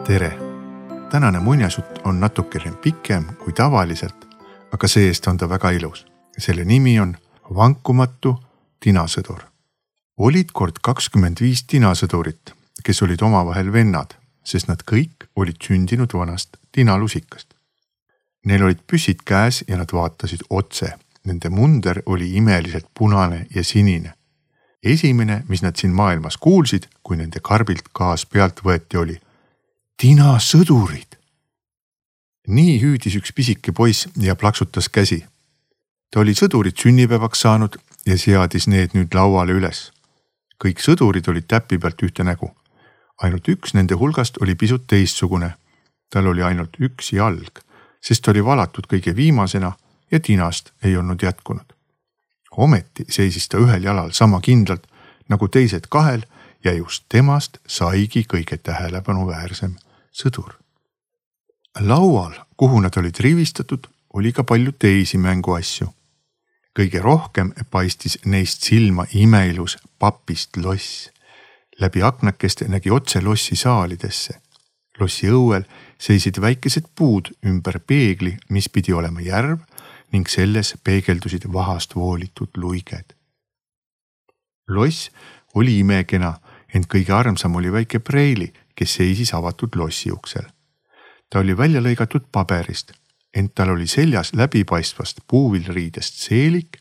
Tere! Tänane muinasjutt on natukene pikem kui tavaliselt, aga see-eest on ta väga ilus. Selle nimi on Vankumatu tinasõdur. Olid kord 25 tinasõdurit, kes olid omavahel vennad, sest nad kõik olid sündinud vanast tinalusikast. Neil olid püssid käes ja nad vaatasid otse. Nende munder oli imeliselt punane ja sinine. Esimene, mis nad siin maailmas kuulsid, kui nende karbilt gaas pealt võeti, oli tinasõdurid. Nii hüüdis üks pisike poiss ja plaksutas käsi. Ta oli sõdurid sünnipäevaks saanud ja seadis need nüüd lauale üles. Kõik sõdurid olid täppi pealt ühte nägu. Ainult üks nende hulgast oli pisut teistsugune. Tal oli ainult üks jalg, sest oli valatud kõige viimasena ja tinast ei olnud jätkunud. Ometi seisis ta ühel jalal sama kindlalt nagu teised kahel ja just temast saigi kõige tähelepanuväärsem sõdur. Laual, kuhu nad olid rivistatud, oli ka palju teisi mänguasju. Kõige rohkem paistis neist silma imeilus papist loss. Läbi aknakeste nägi otse lossi saalidesse. Lossi õuel seisid väikesed puud ümber peegli, mis pidi olema järv ning selles peegeldusid vahast voolitud luiged. Loss oli imekena, ent kõige armsam oli väike Preili, kes seisis avatud lossi uksel. Ta oli välja lõigatud paberist, ent tal oli seljas läbipaistvast puuvilriidest seelik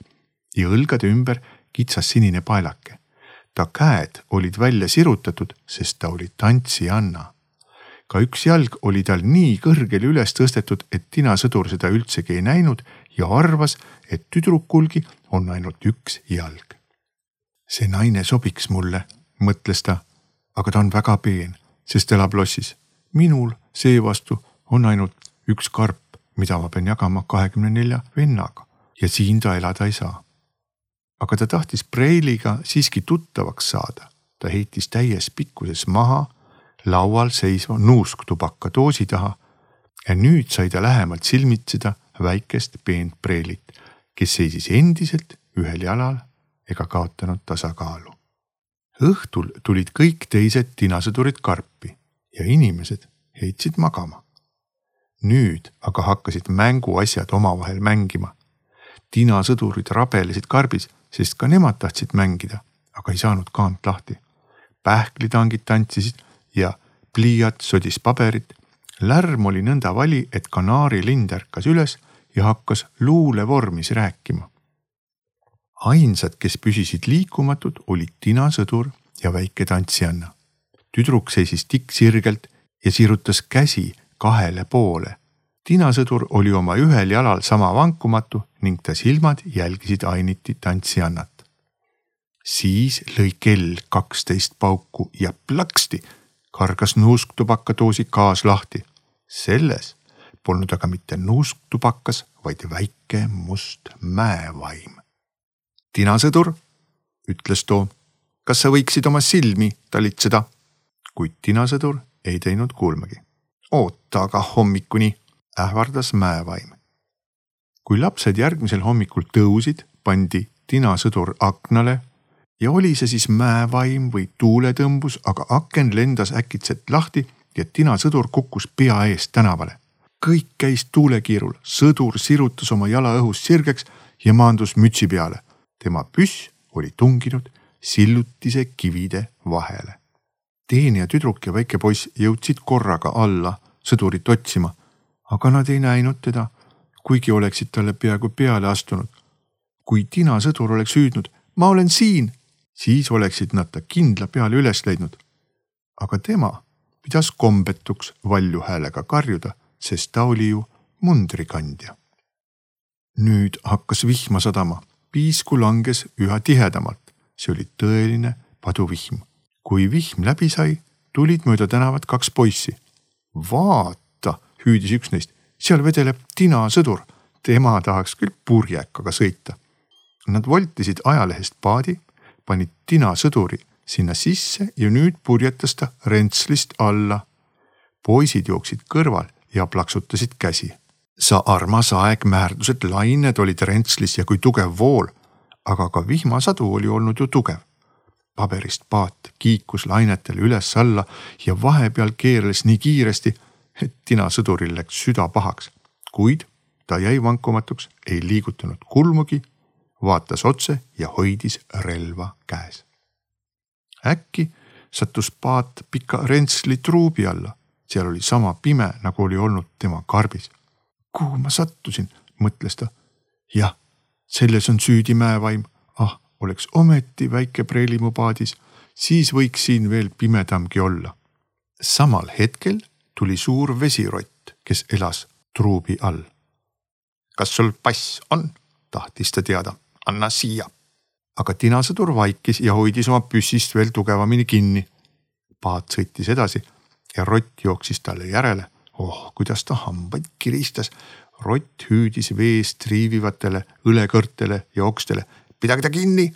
ja õlgade ümber kitsas sinine paelake. Ta käed olid välja sirutatud, sest ta oli tantsijanna. Ka üks jalg oli tal nii kõrgele üles tõstetud, et tinasõdur seda üldsegi ei näinud ja arvas, et tüdrukulgi on ainult üks jalg. See naine sobiks mulle, mõtles ta, aga ta on väga peen, sest elab lossis. Minul seevastu on ainult üks karp, mida ma pean jagama 24 vennaga ja siin ta elada ei saa. Aga ta tahtis Preiliga siiski tuttavaks saada. Ta heitis täies pikkuses maha laual seisva nuusktubaka doosi taha ja nüüd sai ta lähemalt silmitseda väikest peent Preilit, kes seisis endiselt ühel jalal ega kaotanud tasakaalu. Õhtul tulid kõik teised tinasõdurid karpi ja inimesed heitsid magama. Nüüd aga hakkasid mänguasjad omavahel mängima. Tinasõdurid rabelesid karbis, sest ka nemad tahtsid mängida, aga ei saanud kaant lahti. Pähklitangid tantsisid ja pliiat sodis paberit. Lärm oli nõnda vali, et kanaarilind ärkas üles ja hakkas luule vormis rääkima. Ainsad, kes püsisid liikumatud, olid tinasõdur ja väike tantsijanna. Tüdruk seisis tikksirgelt ja sirutas käsi kahele poole. Tinasõdur oli oma ühel jalal sama vankumatu ning ta silmad jälgisid ainiti tantsijannat. Siis lõi kell 12 pauku ja plaksti kargas nuusktubakadoosi gaas lahti. Selles polnud aga mitte nuusktubakas, vaid väike must mäevaim. Tinasõdur, ütles too, kas sa võiksid oma silmi talitseda? Kuid tinasõdur ei teinud kuulmagi. Oota aga hommikuni, ähvardas mäevaim. Kui lapsed järgmisel hommikul tõusid, pandi tinasõdur aknale ja oli see siis mäevaim või tuuletõmbus, aga aken lendas äkitselt lahti ja tinasõdur kukkus pea eest tänavale. Kõik käis tuulekiirul, sõdur sirutas oma jala õhus sirgeks ja maandus mütsi peale. Tema püss oli tunginud sillutise kivide vahele. Teenija tüdruk ja väike poiss jõudsid korraga alla sõdurit otsima, aga nad ei näinud teda, kuigi oleksid talle peaaegu peale astunud. Kui tinasõdur oleks hüüdnud, ma olen siin, siis oleksid nad ta kindla peale üles leidnud. Aga tema pidas kombetuks valju häälega karjuda, sest ta oli ju mundrikandja. Nüüd hakkas vihma sadama. Piisku langes üha tihedamalt. See oli tõeline paduvihm. Kui vihm läbi sai, tulid mööda tänavat 2 poissi. Vaata, hüüdis üks neist, seal vedeleb tinasõdur. Tema tahaks küll purjekaga sõita. Nad voltisid ajalehest paadi, panid tinasõduri sinna sisse ja nüüd purjetas ta rentslist alla. Poisid jooksid kõrval ja plaksutasid käsi. Sa armas aeg, määrdused lained olid rentslis ja kui tugev vool, aga ka vihmasadu oli olnud ju tugev. paberist paat kiikus lainetel üles-alla ja vahepeal keerles nii kiiresti, et tinasõduril läks süda pahaks, kuid ta jäi vankumatuks, ei liigutanud kulmugi, vaatas otse ja hoidis relva käes. Äkki sattus paat pika rentsli truubi alla, seal oli sama pime, nagu oli olnud tema karbis. Kuhu ma sattusin, mõtles ta. Jah, selles on süüdi mäevaim. Oleks ometi väike preelimu paadis, siis võiks siin veel pimedamgi olla. Samal hetkel tuli suur vesirott, kes elas truubi all. Kas sul pass on? Tahtis ta teada. Anna siia. Aga tinasõdur vaikis ja hoidis oma püssist veel tugevamini kinni. Paat sõitis edasi ja rott jooksis talle järele. Kuidas ta hambaid kiristas. Rott hüüdis veest triivivatele õlekõrtele ja okstele. Pidage ta kinni,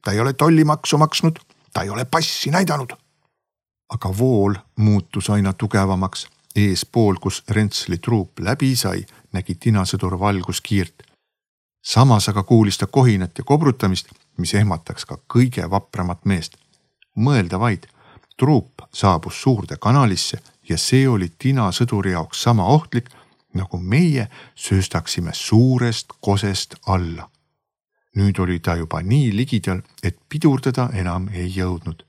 ta ei ole tollimaksu maksnud, ta ei ole passi näidanud. Aga vool muutus aina tugevamaks. Eespool, kus rentsli truup läbi sai, nägi tinasõdur valguskiirt. Samas aga kuulis ta kohinat ja kobrutamist, mis ehmataks ka kõige vapramat meest. Mõelda vaid, truup saabus suurde kanalisse ja see oli tinasõduri jaoks sama ohtlik, nagu meie sööstaksime suurest kosest alla. Nüüd oli ta juba nii ligidal, et pidurdada enam ei jõudnud.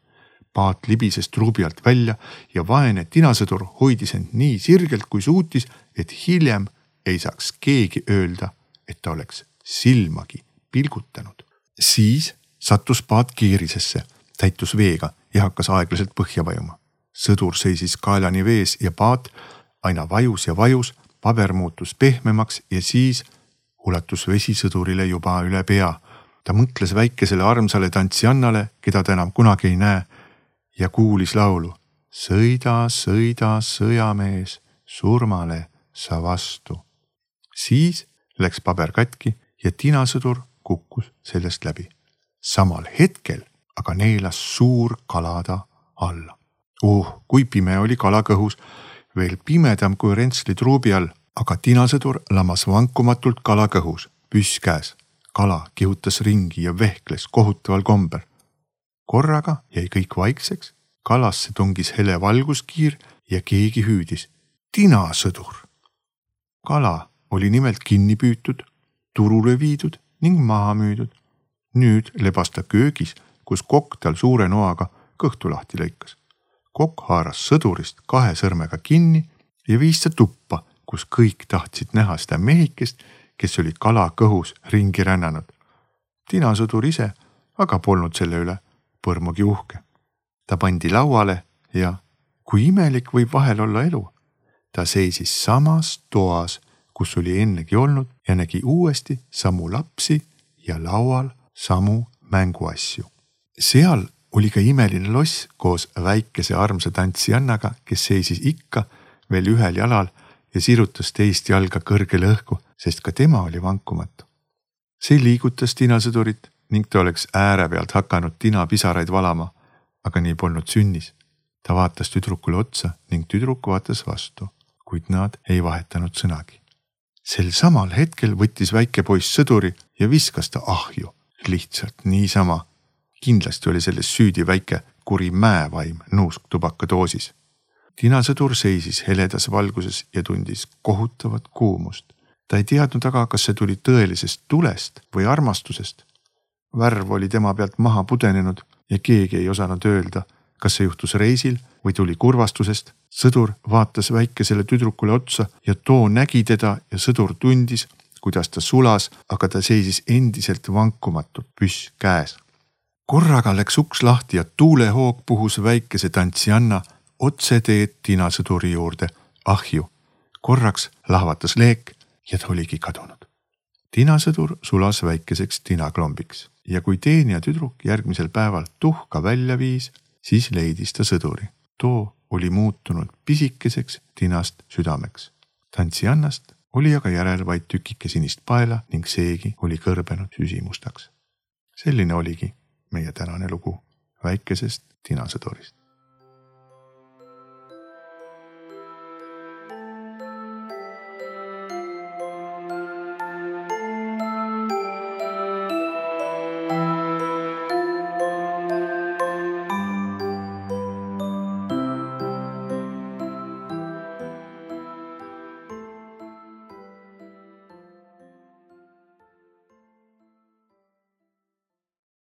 Paat libises truubi alt välja ja vaene tinasõdur hoidis end nii sirgelt kui suutis, et hiljem ei saaks keegi öelda, et ta oleks silmagi pilgutanud. Siis sattus paat kiirisesse, täitus veega ja hakkas aeglaselt põhja vajuma. Sõdur seisis kaelani vees ja paat aina vajus ja vajus, paber muutus pehmemaks ja siis ulatus vesi sõdurile juba üle pea. Ta mõtles väikesele armsale tantsiannale, keda ta enam kunagi ei näe, ja kuulis laulu. Sõida, sõida, sõjamees, surmale sa vastu. Siis läks paber katki ja tinasõdur kukkus sellest läbi. Samal hetkel aga neelas suur kalada alla. Kui pime oli kala kõhus, veel pimedam kui rentsli truubi all, aga tinasõdur lamas vankumatult kala kõhus, püss käes. Kala kihutas ringi ja vehkles kohutaval kombel. Korraga jäi kõik vaikseks, kalasse tungis hele valguskiir ja keegi hüüdis. Tinasõdur! Kala oli nimelt kinni püütud, turule viidud ning maha müüdud. Nüüd lebas ta köögis, kus kokk tal suure noaga kõhtu lahti lõikas. Kokk haaras sõdurist 2 sõrmega kinni ja viis ta tuppa, kus kõik tahtsid näha seda mehikest, kes oli kala kõhus ringi rännanud. Tinasõdur ise aga polnud selle üle põrmugi uhke. Ta pandi lauale ja, kui imelik võib vahel olla elu, ta seisis samas toas, kus oli ennegi olnud ja nägi uuesti samu lapsi ja laual samu mänguasju. Seal oli ka imeline loss koos väikese armsa tantsiannaga, kes seisis ikka veel ühel jalal ja sirutas teist jalga kõrgele õhku, sest ka tema oli vankumatu. See liigutas tinasõdurit ning ta oleks ääre pealt hakanud tinapisaraid valama, aga nii polnud sünnis. Ta vaatas tüdrukule otsa ning tüdruk vaatas vastu, kuid nad ei vahetanud sõnagi. Sel samal hetkel võttis väike poiss sõduri ja viskas ta ahju, lihtsalt niisama. Kindlasti oli selles süüdi väike kuri mäevaim nuusktubaka doosis. Tinasõdur seisis heledas valguses ja tundis kohutavat kuumust. Ta ei teadnud aga, kas see tuli tõelisest tulest või armastusest. Värv oli tema pealt maha pudenenud ja keegi ei osanud öelda, kas see juhtus reisil või tuli kurvastusest. Sõdur vaatas väikesele tüdrukule otsa ja too nägi teda ja sõdur tundis, kuidas ta sulas, aga ta seisis endiselt vankumatult püss käes. Korraga läks uks lahti ja tuulehoog puhus väikese tantsianna otse teed tinasõduri juurde ahju. Korraks lahvatas leek ja ta oligi kadunud. Tinasõdur sulas väikeseks tinaklombiks ja kui teenija tüdruk järgmisel päeval tuhka välja viis, siis leidis ta sõduri. Too oli muutunud pisikeseks tinast südameks. Tantsiannast oli aga järel vaid tükike sinist paela ning seegi oli kõrbenud süsimustaks. Selline oligi meie tänane lugu väikesest tinasõdurist.